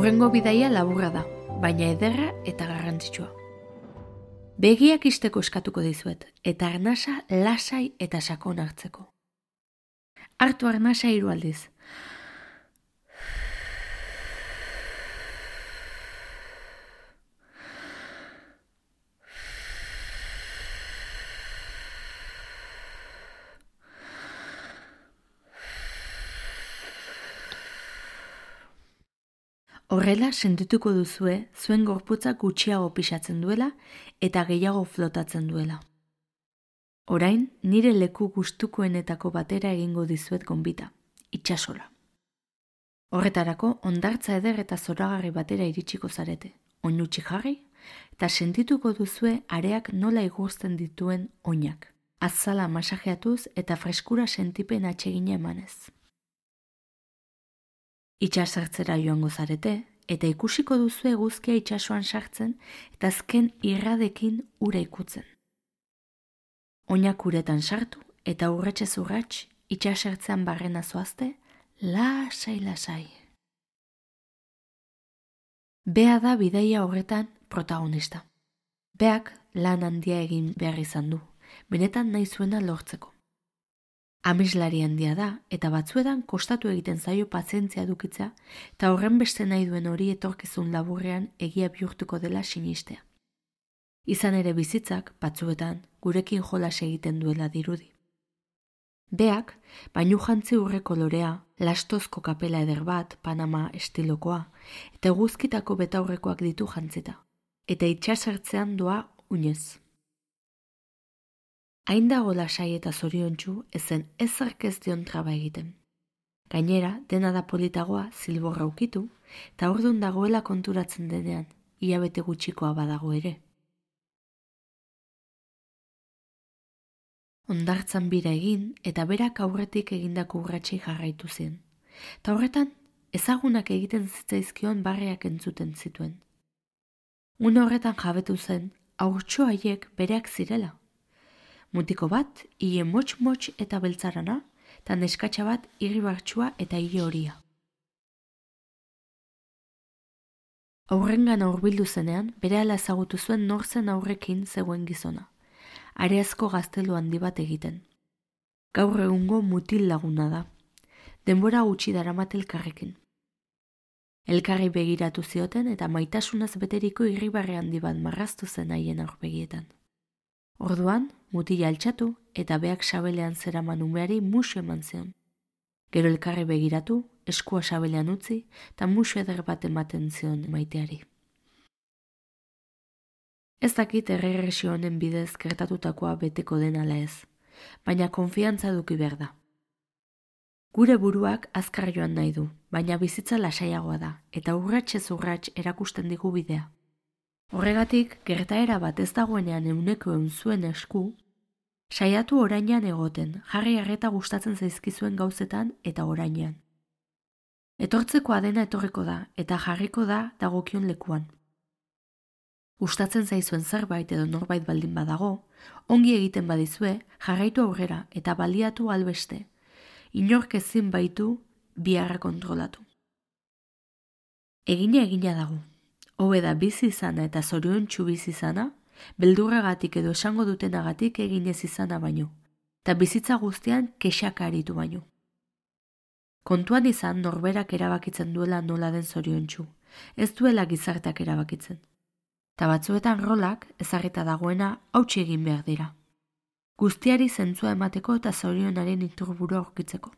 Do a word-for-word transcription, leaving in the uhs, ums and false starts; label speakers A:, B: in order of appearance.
A: Hurrengo bidaia laburra da, baina ederra eta garrantzitsua. Begiak isteko eskatuko dizuet, eta arnasa lasai eta sakon hartzeko. Hartu arnasa hiru aldiz. Horrela sentituko duzue zuen gorputzak gutxiago pisatzen duela eta gehiago flotatzen duela. Orain, nire leku gustukoenetako batera egingo dizuet gonbita, itsasora. Horretarako, hondartza eder eta zoragarri batera iritsiko zarete, oinutsi jarri, eta sentituko duzue areak nola igurtzen dituen oinak, azala masajeatuz eta freskura sentipen atsegina emanez. Itsasartzera joango zarete, eta ikusiko duzu eguzkia itsasoan sartzen eta azken irradekin ura ikutzen. Oinak uretan sartu eta urratsez urrats itsasertzean barrena zoazte, lasai-lasai. Bea da bidaia horretan protagonista. Beak lan handia egin behar izan du, benetan nahi zuena lortzeko. Ameslari handia da, eta batzuetan kostatu egiten zaio pazientzia edukitzea, eta horren beste nahi duen hori etorkizun laburrean egia bihurtuko dela sinistea. Izan ere bizitzak, batzuetan, gurekin jolas egiten duela dirudi. Beak, bainu jantzi urre kolorea, lastozko kapela eder bat, Panama estilokoa, eta eguzkitako betaurrekoak ditu jantzita, eta itsasertzean doa oinez. Hain dago lasai eta zoriontsu ezen ezerk ez dion traba egiten. Gainera, dena da politagoa zilborra ukitu, eta ordun dagoela konturatzen denean, hilabete gutxikoa badago ere. Hondartzan bira egin eta berak aurretik egindako urratsei jarraitu zien. Ta horretan, ezagunak egiten zitzaizkion barreak entzuten zituen. Une horretan jabetu zen, haurtxo haiek bereak zirela. Mutiko bat, hile motx-motx eta beltzarana, eta neskatxa bat irribartsua eta hile horia. Aurrengana hurbildu zenean, berehala ezagutu zuen nor zen aurrekin zegoen gizona. Areazko gaztelu handi bat egiten. Gaur egungo mutil laguna da. Denbora gutxi daramat elkarrekin. Elkarri begiratu zioten eta maitasunaz beteriko irribarre handi bat marraztu zen haien aurpegietan. Orduan, mutila altxatu eta beak sabelean zeraman umeari musu eman zion. Gero elkarri begiratu, eskua sabelean utzi eta musu eder bat ematen zion maiteari. Ez dakit erregresio honen bidez gertatutakoa beteko den ala ez, baina konfiantza eduki behar da. Gure buruak azkar joan nahi du, baina bizitza lasaiagoa da eta urratsez urrats erakusten digu bidea. Horregatik, gertaera bat ez dagoenean euneko eun zuen esku, saiatu orainean egoten, jarri arreta gustatzen zaizkizuen gauzetan eta orainean. Etortzekoa dena etorriko da eta jarriko da dagokion lekuan. Gustatzen zaizuen zerbait edo norbait baldin badago, ongi egiten badizue, jarraitu aurrera eta baliatu albeste, inork ezin baitu biharra kontrolatu. Egina egina dago. Hobe da bizi izana eta zoriontsu bizi izana, beldurragatik edo esango dutenagatik eginez izana baino, eta bizitza guztian kexaka aritu baino. Kontuan izan norberak erabakitzen duela nola den zoriontsu, ez duela gizarteak erabakitzen. Ta batzuetan rolak ezarrita dagoena hautsi egin behar dira. Guztiari zentzua emateko eta zorionaren iturburu aurkitzeko.